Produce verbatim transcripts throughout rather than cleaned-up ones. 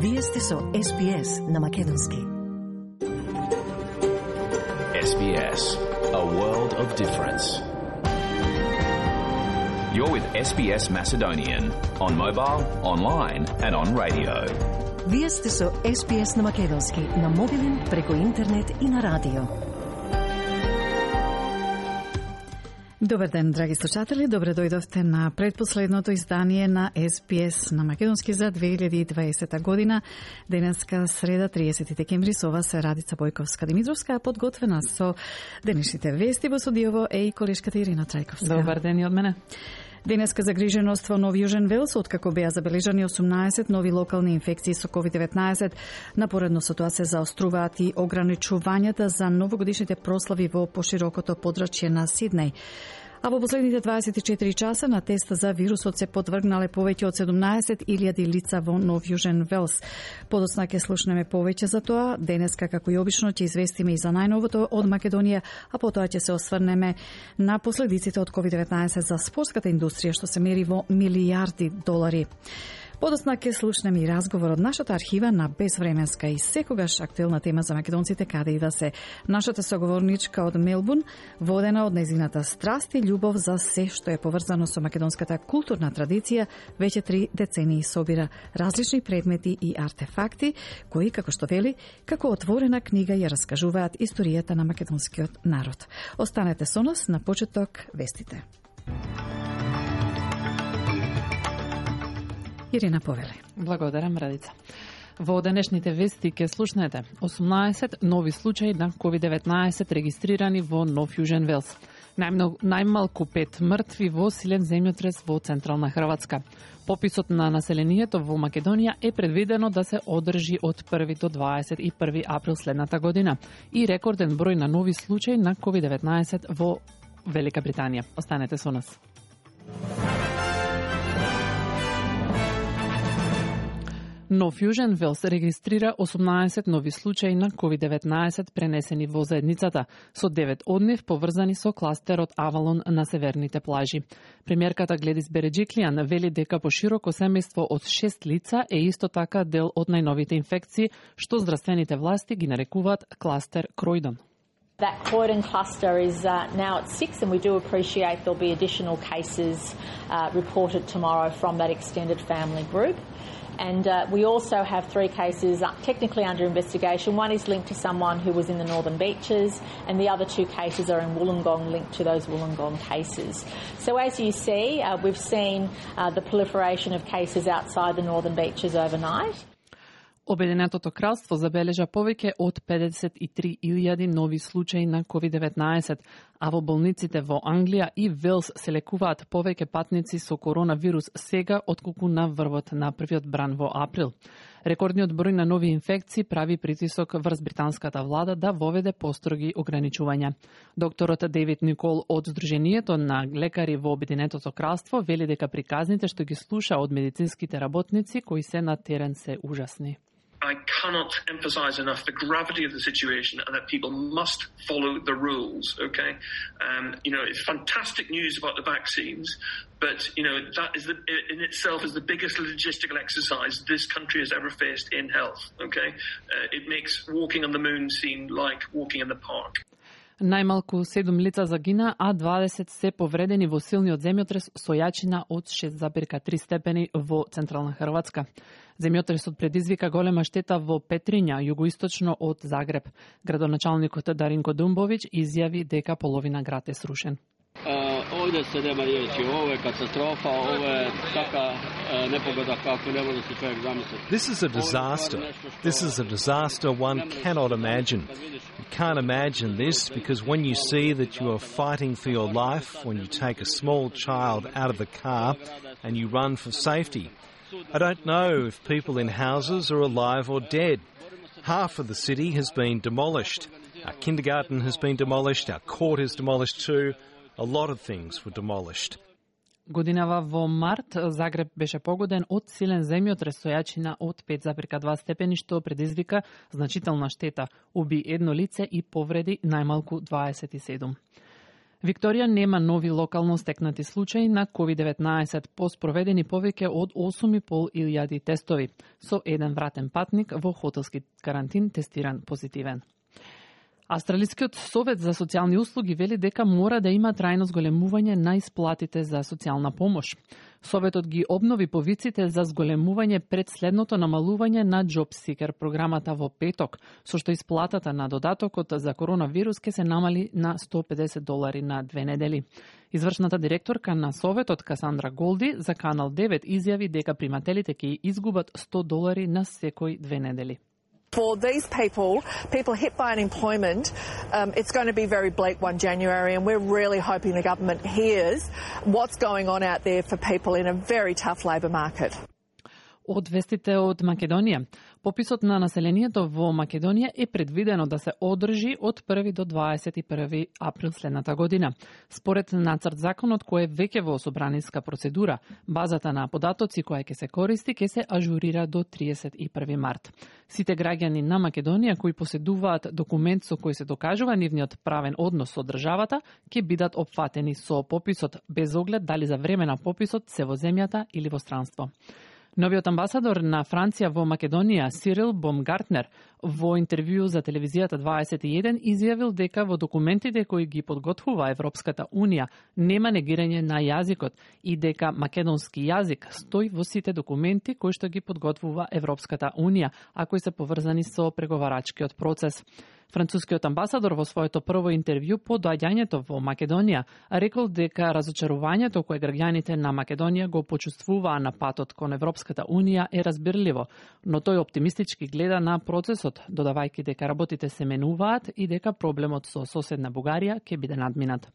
Вие сте со Ес Би Ес на Македонски. Ес Би Ес, a world of difference. You're with Ес Би Ес Macedonian on mobile, online and on radio. Вие сте со Ес Би Ес на Македонски, на мобилен, преку интернет и на радио. Добар ден, драги слушатели, добре дојдовте на предпоследното издание на Ес Би Ес на Македонски за две илјади и дваесета година. Денеска среда, триесети декември, со вас е Радица Бојковска-Димитровска, подготвена со денешните вести. Во студиово е и колешката Ирина Трајковска. Добар ден и од мене. Денеска загриженост во Нов Јужен Велс, откако беа забележани осумнаесет нови локални инфекции со ковид деветнаесет. Напоредно со тоа се заоструваат и ограничувањата за новогодишните прослави во поширокото подрачје на Сиднеј. А во последните дваесет и четири часа на тест за вирусот се подвргнале повеќе од седумнаесет илјади лица во Нов Јужен Велс. Подоцна ќе слушнеме повеќе за тоа. Денеска, како и обично, ќе известиме и за најновото од Македонија, а потоа ќе се осврнеме на последиците од ковид деветнаесет за спортската индустрија, што се мери во милијарди долари. Подоцна ќе слушнеме и разговор од нашата архива на безвременска и секогаш актуелна тема за македонците, каде и да се. Нашата соговорничка од Мелбурн, водена од незината страст и љубов за се што е поврзано со македонската културна традиција, веќе три децении собира различни предмети и артефакти, кои, како што вели, како отворена книга ја раскажуваат историјата на македонскиот народ. Останете со нас, на почеток вестите. Ирина повели. Благодарам, Радица. Во денешните вести ке слушнете осумнаесет нови случаи на ковид деветнаесет регистрирани во Нов Јужен Велс. Најмногу, најмалку пет мртви во силен земјотрес во централна Хрватска. Пописот на населението во Македонија е предвидено да се одржи од први до дваесет и први април следната година и рекорден број на нови случаи на ковид деветнаесет во Велика Британија. Останете со нас. Нов Јужен Велс регистрира осумнаесет нови случаи на ковид деветнаесет пренесени во заедницата, со девет од нив поврзани со кластерот Авалон на северните плажи. Премиерката Гледис Береджиклијан вели дека пошироко семејство од шест лица е исто така дел од најновите инфекции, што здравствените власти ги нарекуваат кластер Кројдон. That Croydon cluster is uh, now at six, and we do appreciate there'll be additional cases uh, reported tomorrow from that extended family group. And uh, we also have three cases uh, technically under investigation. One is linked to someone who was in the Northern Beaches, and the other two cases are in Wollongong, linked to those Wollongong cases. So as you see, uh, we've seen uh, the proliferation of cases outside the Northern Beaches overnight. Обединетото кралство забележа повеќе од педесет и три илјади нови случаи на ковид деветнаесет, а во болниците во Англија и Велс се лекуваат повеќе патници со коронавирус сега отколку на врвот на првиот бран во април. Рекордниот број на нови инфекции прави притисок врз британската влада да воведе построги ограничувања. Докторот Дейвид Никол од Сдруженијето на лекари во Обединетото кралство вели дека приказните што ги слуша од медицинските работници кои се на терен се ужасни. I cannot emphasize enough the gravity of the situation and that people must follow the rules, okay? Um, you know, it's fantastic news about the vaccines, but, you know, that is the, in itself is the biggest logistical exercise this country has ever faced in health, okay? Uh, it makes walking on the moon seem like walking in the park. Најмалку седум лица загина, а дваесет се повредени во силниот земјотрес со јачина од шест зарез и три степени во централна Хрватска. Земјотресот предизвика голема штета во Петриња, југоисточно од Загреб. Градоначалникот Даринко Думбовиќ изјави дека половина град е срушен. Ovdje se nema riječi, ovo je katastrofa, ovo je taka nepogoda kako ne može se čovjek zamisliti. This is a disaster. This is a disaster one cannot imagine. You can't imagine this because when you see that you are fighting for your life, when you take a small child out of the car and you run for safety. I don't know if people in houses are alive or dead. Half of the city has been demolished. Our kindergarten has been demolished, our court is demolished too. A lot of things were demolished. Годинава во март Загреб беше погоден од силен земјотрес со јачина од пет зарез и два степени, што предизвика значителна штета, уби едно лице и повреди најмалку дваесет и седум. Викторија нема нови локално стекнати случаи на ковид деветнаесет, по спроведени повеќе од осум и пол илјади тестови, со еден вратен патник во хотелски карантин тестиран позитивен. Австралискиот совет за социјални услуги вели дека мора да има трајно зголемување на исплатите за социјална помош. Советот ги обнови повиците за зголемување пред следното намалување на JobSeeker програмата во петок, со што исплатата на додатокот за коронавирус ќе се намали на сто и педесет долари на две недели. Извршната директорка на Советот Касандра Голди за Канал девет изјави дека примателите ќе изгубат сто долари на секој две недели. For these people, people hit by unemployment, um, it's going to be very bleak one January, and we're really hoping the government hears what's going on out there for people in a very tough labour market. Од вестите од Македонија. Пописот на населението во Македонија е предвидено да се одржи од први до дваесет и први април следната година. Според нацрт законот кој е веќе во собраниска процедура, базата на податоци која ќе се користи ќе се ажурира до триесет и први март. Сите граѓани на Македонија кои поседуваат документ со кој се докажува нивниот правен однос со државата ќе бидат опфатени со пописот, без оглед дали за време на пописот се во земјата или во странство. Новиот амбасадор на Франција во Македонија, Сирил Бомгартнер, во интервју за телевизијата дваесет и еден изјавил дека во документите кои ги подготвува Европската Унија нема негирање на јазикот и дека македонски јазик стои во сите документи кои што ги подготвува Европската Унија, а кои се поврзани со преговарачкиот процес. Францускиот амбасадор во своето прво интервју по доаѓањето во Македонија рекол дека разочарувањето кое граѓаните на Македонија го почувствуваа на патот кон Европската Унија е разбирливо, но тој оптимистички гледа на процесот, додавајќи дека работите се менуваат и дека проблемот со соседна Бугарија ќе биде надминат.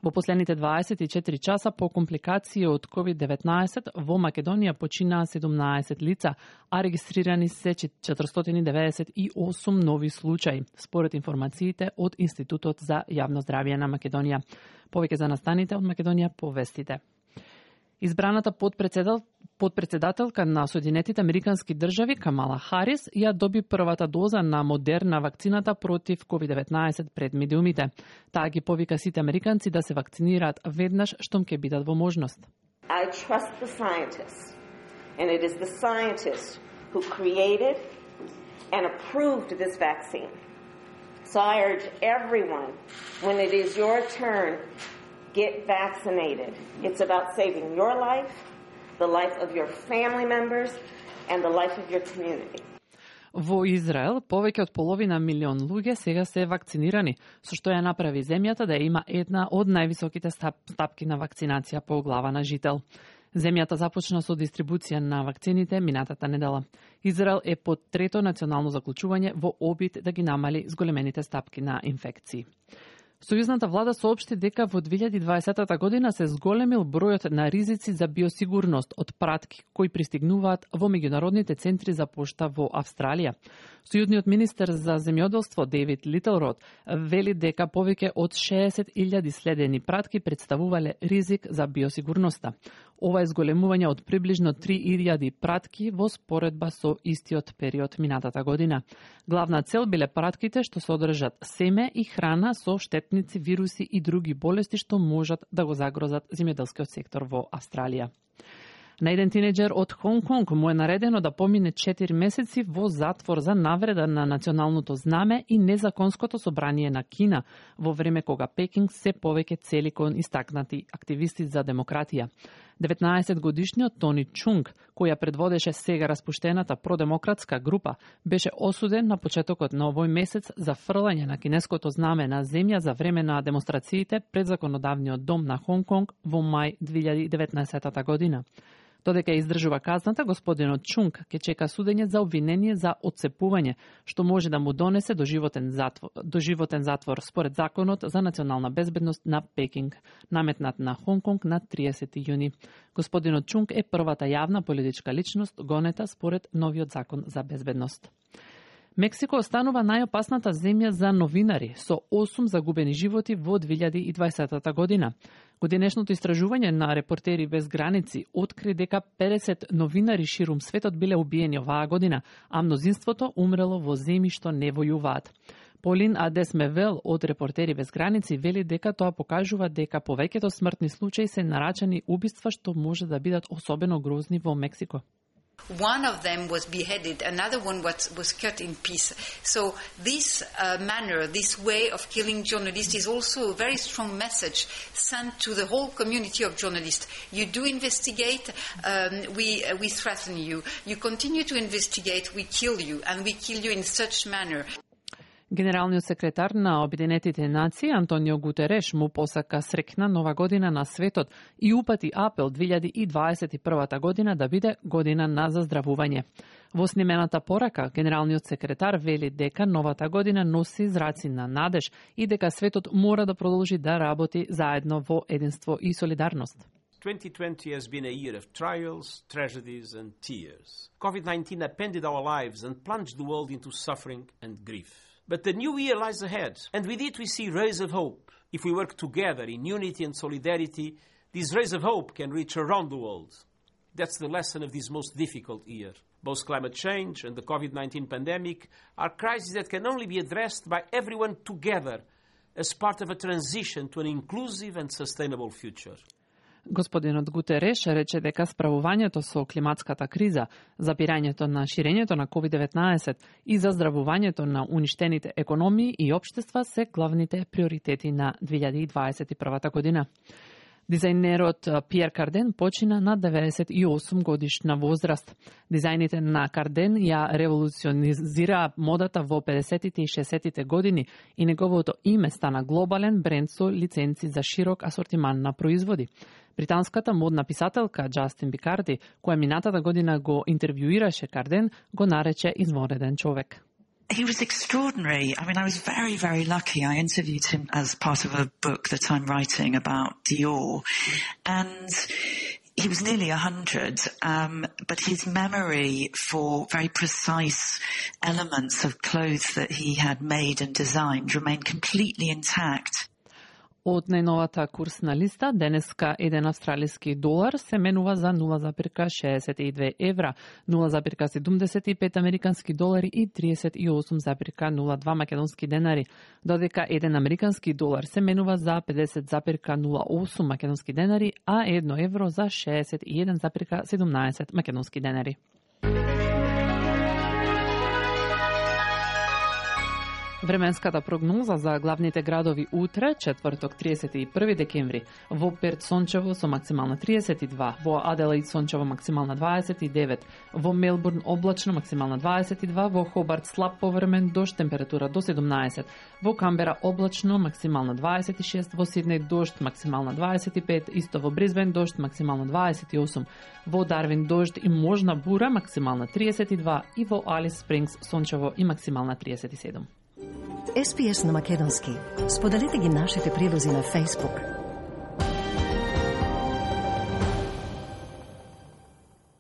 Во последните дваесет и четири часа по компликации од ковид деветнаесет во Македонија починаа седумнаесет лица, а регистрирани се четиристотини деведесет и осум нови случаи, според информациите од Институтот за јавно здравје на Македонија. Повеќе за настаните од Македонија по вестите. Избраната подпредседател, подпредседателка на Соединетите Американски држави Камала Харис ја доби првата доза на Модерна вакцината против ковид деветнаесет пред медиумите. Таа ги повика сите американци да се вакцинираат веднаш штом ќе бидат во можност. I trust the scientists, and it is the scientists who created and approved this vaccine. So I urge everyone, when it is your turn, get vaccinated. It's about saving your life, the life of your family members, and the life of your community. Во Израел, повеќе од половина милион луѓе сега се вакцинирани, со што ја направи земјата да има една од највисоките стапки на вакцинација по глава на жител. Земјата започна со дистрибуција на вакцините минатата недела. Израел е под трето национално заклучување во обид да ги намали зголемените стапки на инфекции. Сојузната влада соопшти дека во две илјади и дваесета година се зголемил бројот на ризици за биосигурност од пратки кои пристигнуваат во меѓународните центри за пошта во Австралија. Сојузниот министер за земјоделство Дейвид Литлрод вели дека повеќе од шеесет илјади следени пратки представувале ризик за биосигурноста. Ова е зголемување од приближно три илјади пратки во споредба со истиот период минатата година. Главна цел биле пратките што содржат семе и храна со штетници, вируси и други болести што можат да го загрозат земјоделскиот сектор во Австралија. На еден тинеџер од Хонг Конг му е наредено да помине четири месеци во затвор за навреда на националното знаме и незаконското собрание на Кина, во време кога Пекинг се повеќе цели кон истакнати активисти за демократија. деветнаесет годишниот Тони Чунг, која предводеше сега распуштената продемократска група, беше осуден на почетокот на овој месец за фрлање на кинеското знаме на земја за време на демонстрациите пред законодавниот дом на Хонг Конг во мај две илјади и деветнаесета година. Додека издржува казната, господинот Чунг ќе чека судење за обвинение за отцепување, што може да му донесе доживотен затвор, доживотен затвор според законот за национална безбедност на Пекинг, наметнат на Хонг Конг на триесети јуни. Господинот Чунг е првата јавна политичка личност гонета според новиот закон за безбедност. Мексико останува најопасната земја за новинари, со осум загубени животи во две илјади и дваесета година. Годинешното истражување на Репортери без граници откри дека педесет новинари ширум светот биле убиени оваа година, а мнозинството умрело во земји што не војуваат. Полин Адесмевел од Репортери без граници вели дека тоа покажува дека повеќето смртни случаи се нарачани убиства што може да бидат особено грозни во Мексико. One of them was beheaded, another one was, was cut in pieces. So this uh, manner, this way of killing journalists is also a very strong message sent to the whole community of journalists. You do investigate, um, we, uh, we threaten you. You continue to investigate, we kill you, and we kill you in such manner. Генералниот секретар на Обединетите нации Антонио Гутереш му посака среќна нова година на светот и упати апел две илјади и дваесет и прва година да биде година на заздравување. Во снимената порака, генералниот секретар вели дека новата година носи зраци на надеж и дека светот мора да продолжи да работи заедно во единство и солидарност. twenty twenty has been a year of trials, tragedies and tears. COVID nineteen upended our lives and plunged the world into suffering and grief. But the new year lies ahead, and with it we see rays of hope. If we work together in unity and solidarity, these rays of hope can reach around the world. That's the lesson of this most difficult year. Both climate change and the COVID nineteen pandemic are crises that can only be addressed by everyone together as part of a transition to an inclusive and sustainable future. Господинот Гутереш рече дека справувањето со климатската криза, запирањето на ширењето на ковид деветнаесет и заздравувањето на уништените економии и општества се главните приоритети на две илјади и дваесет и прва година. Дизајнерот Пиер Карден почина на деветдесет и осум годишна возраст. Дизајните на Карден ја револуционизираа модата во педесетите и шеесеттите години и неговото име стана глобален бренд со лиценци за широк асортиман на производи. Британската модна писателка Джастин Бикарди, која минатата година го интервјуираше Карден, го нарече извонреден човек. He was extraordinary. I mean, I was very, very lucky. I interviewed him as part of a book that I'm writing about Dior. And he was nearly a hundred, um, but his memory for very precise elements of clothes that he had made and designed remained completely intact. Од најновата курсна листа, денеска еден австралиски долар се менува за нула запирка шеесет и две евра, нула запирка седумдесет и пет американски долари и триесет и осум запирка нула два македонски денари, додека еден американски долар се менува за педесет запирка нула осум македонски денари, а едно евро за шеесет и еден запирка седумнаесет македонски денари. Временската прогноза за главните градови утре, четврток триесет и први декември. Во Перт сончево со максимална триесет и два, во Аделаид сончево максимална дваесет и девет, во Мелбурн облачно максимална дваесет и два, во Хобарт слаб повремен дожд, температура до седумнаесет, во Камбера облачно максимална дваесет и шест, во Сиднеј дожд максимална дваесет и пет, исто во Бризбен дожд максимална дваесет и осум, во Дарвин дожд и можна бура максимална триесет и два и во Алис Спрингс сончево и максимална триесет и седум. Ес Пи Ес на македонски. Споделете ги нашите прилози на Facebook.